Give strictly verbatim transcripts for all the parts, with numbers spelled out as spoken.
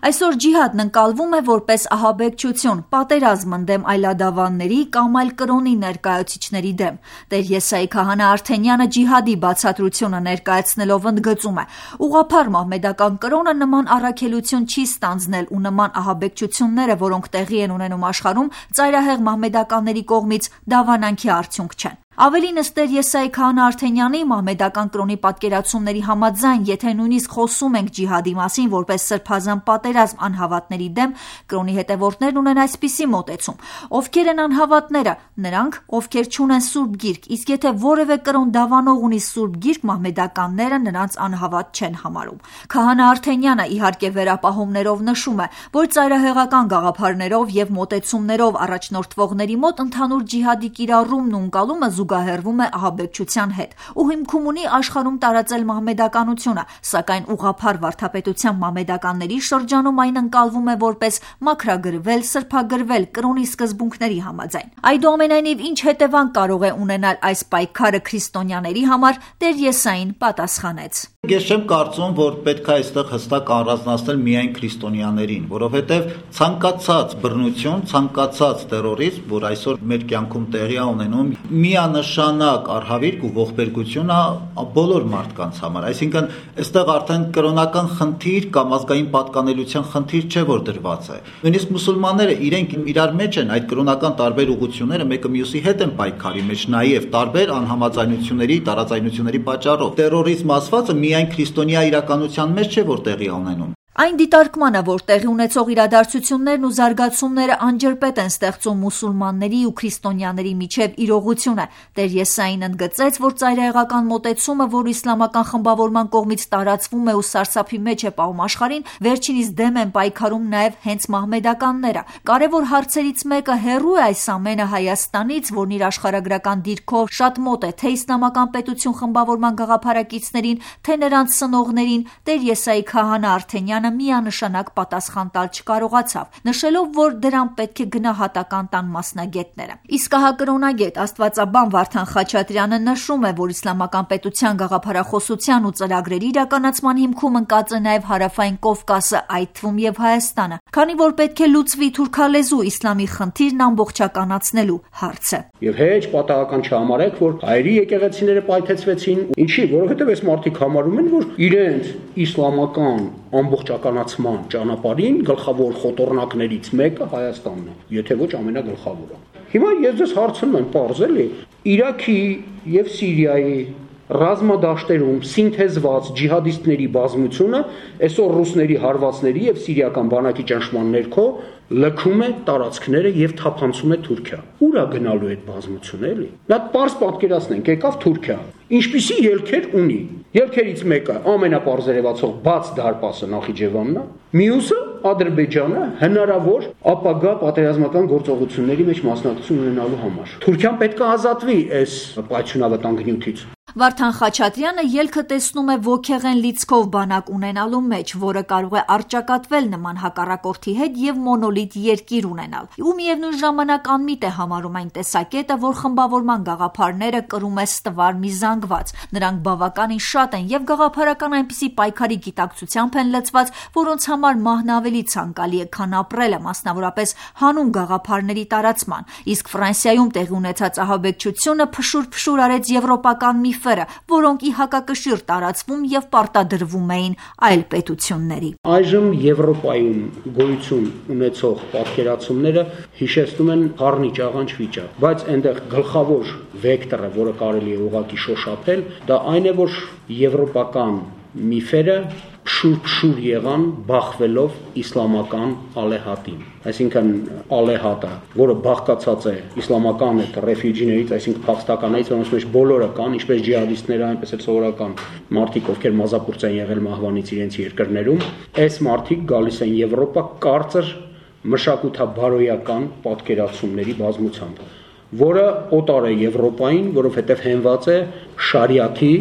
Այսօր ջիհադն ընկալվում է որպես ահաբեկչություն, պատերազմ ընդդեմ այլադավանների կամ այլ կրոնի ներկայացուցիչների դեմ։ Տեր Եսայի քահանա Արթենյանը ջիհադի բացատրությունը ներկայացնելով ընդգծում է. ուղղափառ մահմեդական կրոնը նման առաքելություն չի ստանձնել ու նման ահաբեկչությունները, որոնք տեղի են ունենում աշխարհում, ծայրահեղ մահմեդականների կողմից դավանանքի արդյունք չեն։ Ավելին ըստ Տեր Եսայի քահանա Արթենյանի մահմեդական կրոնի պատկերացումների համաձայն, եթե նույնիսկ խոսում ենք ջիհադի մասին որպես սրբազան պատերազմ անհավատների դեմ, կրոնի հետևորդներն ունեն այսպիսի մոտեցում. ովքեր են անհավատները, նրանք, ովքեր չունեն Սուրբ Գիրք, իսկ եթե որևէ կրոն դավանող ունի Սուրբ Գիրք, մահմեդականները նրանց անհավատ չեն համարում։ Քահանա Արթենյանը իհարկե վերապահումներով նշում է, որ ծայրահեղական գաղափարներով եւ մոտեցումներով առաջնորդվողների մոտ ընդհանուր ջիհադի կիրառումն ու ընկալումը զուգահեռվում է ահաբեկչության հետ ու հիմքում ունի աշխարհում տարածել մահմեդականությունը, սակայն ուղղափառ վարդապետության մահմեդականների շրջանում այն ընկալվում է որպես մաքրագրվել, սրբագրվել կրոնի սկզբունքների համաձայն։ Այդուամենայնիվ, ինչ հետևանք կարող է ունենալ այս պայքարը քրիստոնյաների համար, Տեր Եսային պատասխանեց. Ես չեմ կարծում, որ պետք է այստեղ հստակ առանձնացնել միայն քրիստոնյաներին, որովհետև ցանկացած բռնություն, ցանկացած տերորիզմ, որ այսօր մեր կյանքում տեղի է ունենում, միանշանակ արհավիրք ու ողբերգություն է բոլոր մարդկանց համար։ Այսինքն, այստեղ արդեն կրոնական խնդիր կամ ազգային պատկանելիության խնդիր չէ, որ դրված է։ Նույնիսկ մուսուլմանները իրենք իրար մեջ են այդ կրոնական տարբեր ուղղությունները մեկը մյուսի հետ են պայքարի մեջ, նաև տարբեր անհամաձայնությունների, տարաձայնությունների պատճառով։ Տերորիզմ ասվածը միայն քրիստոնյա իրականության մեջ չէ, որ տեղի է ունենում։ Այն դիտարկմանը, որ տեղի ունեցող իրադարձություններն ու զարգացումները անջրպետ են ստեղծում մուսուլմանների ու քրիստոնյաների միջև իրողություն է։ Տեր Եսային ընդգծեց, որ ծայրահեղական մոտեցումը, որ իսլամական խմբավորման կողմից տարածվում է ու սարսափի մեջ է պահում աշխարհին, վերջինիս դեմ են պայքարում նաև հենց մահմեդականները։ Կարևոր հարցերից մեկը հեռու է այս ամենը Հայաստանից, որն իր աշխարհագրական դիրքով շատ մոտ է թե իսլամական պետություն խմբավորման գաղափարակիցներին, թե նրանց սնողներին։ Տեր Եսայի քահանա Արթենյանը միանշանակ պատասխան տալ չկարողացավ, նշելով, որ դրան պետք է գնահատական տան մասնագետները։ Իսկ ահակրոնագետ աստվածաբան Վարդան Խաչատրյանը նշում է, որ իսլամական պետության գաղափարախոսության ու ծրագրերի իրականացման հիմքում ընկած է նաև Հարավային Կովկասը, այդ թվում եւ Հայաստանը, քանի որ պետք է լուծվի թուրքալեզու իսլամի խնդիրն ամբողջականացնելու հարցը։ Եվ հեչ պատահական չհամարեք, որ հայերի եկեղեցիները պայթեցվեցին, ինչի, որովհետեւ այս մարդիկ համարում են, որ իրենց իսլամական ամբողջականացման ճանապարհին գլխավոր խոտորնակներից մեկը Հայաստանն է, եթե ոչ ամենագլխավորը։ Հիմա ես ձեզ հարցնում եմ, պարզ էլի, Իրաքի եւ Սիրիայի ռազմադաշտերում սինթեզված ջիհադիստների բազմությունը այսօր ռուսների հարվածների եւ սիրիական բանակի ճնշման ներքո լքում է տարածքները եւ թափանցում է Թուրքիա։ Ուր է գնալու այդ բազմությունը էլի։ Նա պարզ պատկերացնենք, եկավ Թուրքիա։ Ինչպիսի ելքեր ունի։ Ելքերից մեկը ամենապարզերևացող բաց դարպասը Նախիջևանն է, մյուսը Ադրբեջանը հնարավոր ապագա պատերազմական գործողությունների մեջ մասնակցություն ունենալու համար։ Թուրքիան պետք է ազատվի այս պայթյունավտանգ նյութից։ Վարդան Խաչատրյանը ելքը տեսնում է ոգեղեն լիցքով բանակ ունենալու մեջ, որը կարող է առճակատվել նման հակառակորդի հետ եւ մոնոլիտ երկիր ունենալ։ Ու միևնույն ժամանակ անմիտ է համարում այն տեսակետը, որ խմբավորման գաղափարները կրում է ստվար մի զանգված։ Նրանք բավականին շատ են եւ գաղափարական այնպիսի պայքարի գիտակցությամբ են լցված, որոնց համար մահն ավելի ցանկալի է, քան ապրելը, մասնավորապես հանուն գաղափարների տարածման։ Իսկ Ֆրանսիայում տեղի ունեցած ահաբեկչությունը փշուր-փշուր արեց եվրոպական մի որոնք ի հակակշիռ տարածվում եւ պարտադրվում էին այլ պետությունների։ Այժմ Եվրոպայում գոյություն ունեցող պատկերացումները հիշեցնում են խառնի ճաղանճ վիճակ, բայց այնտեղ գլխավոր վեկտորը, որը կարելի է ուղղակի շոշափել, դա այն է, որ եվրոպական միֆերը փշուր-փշուր եղան բախվելով իսլամական ալեհատին։ Այսինքն ալեհատը, որը բաղկացած է իսլամական այդ ռեֆյուջիներից, այսինքն փախստականներից, որոնց մեջ բոլորը կան, ինչպես ջիհադիստները, այնպես էլ սովորական մարդիկ, ովքեր մազապուրծ են եղել մահվանից իրենց երկրներում, այս մարդիկ գալիս են Եվրոպա կարծր մշակութաբարոյական պատկերացումների բազմությամբ, որը օտար է Եվրոպային, որովհետև հենված է շարիաթի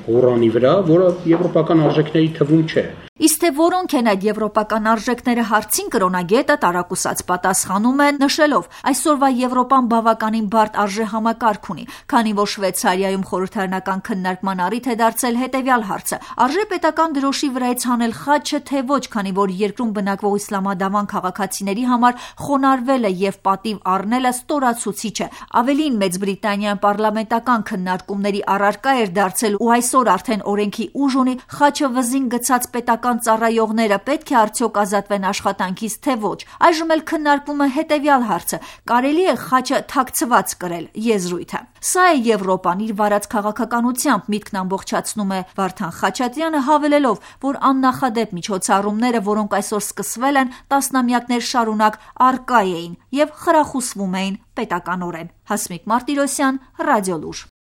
Ղուրանի վրա, որը եվրոպական արժեքների թվում չէ։ Իսկ թե որոնք են այդ եվրոպական արժեքները հարցին կրոնագետը տարակուսած պատասխանում է նշելով. այսօրվա Եվրոպան բավականին բարդ արժեհամակարգ ունի, քանի որ Շվեյցարիայում խորհրդարանական քննարկման առիթ է դարձել հետևյալ հարցը. արժե պետական դրոշի վրայից հանել խաչը, թե ոչ, քանի որ երկրում բնակվող իսլամադավան քաղաքացիների համար խոնարհվելը եւ պատիվ առնելը ստորացուցիչ է։ Ավելին, Մեծ Բրիտանիան պարլամենտական քննարկումների առարկա էր դարձել ու այսօր արդեն օրենքի ուժ ունի, խաչը վզին գցած պետական ծառայողները պետք է արդյոք ազատվեն աշխատանքից, թե ոչ։ Այժմ էլ քննարկվում է հետևյալ հարցը. կարելի է խաչը թաքցված կրել, եզրույթը։ Սա է Եվրոպան իր վարած քաղաքականությամբ, միտքն ամբողջացնում է Վարդան Խաչատրյանը, հավելելով, որ աննախադեպ միջոցառումները, որոնք այսօր սկսվել են, տասնամյակներ շարունակ առկա էին եւ խրախուսվում էին պետականորեն։ Հասմիկ Մարտիրոսյան, Ռադիոլուր։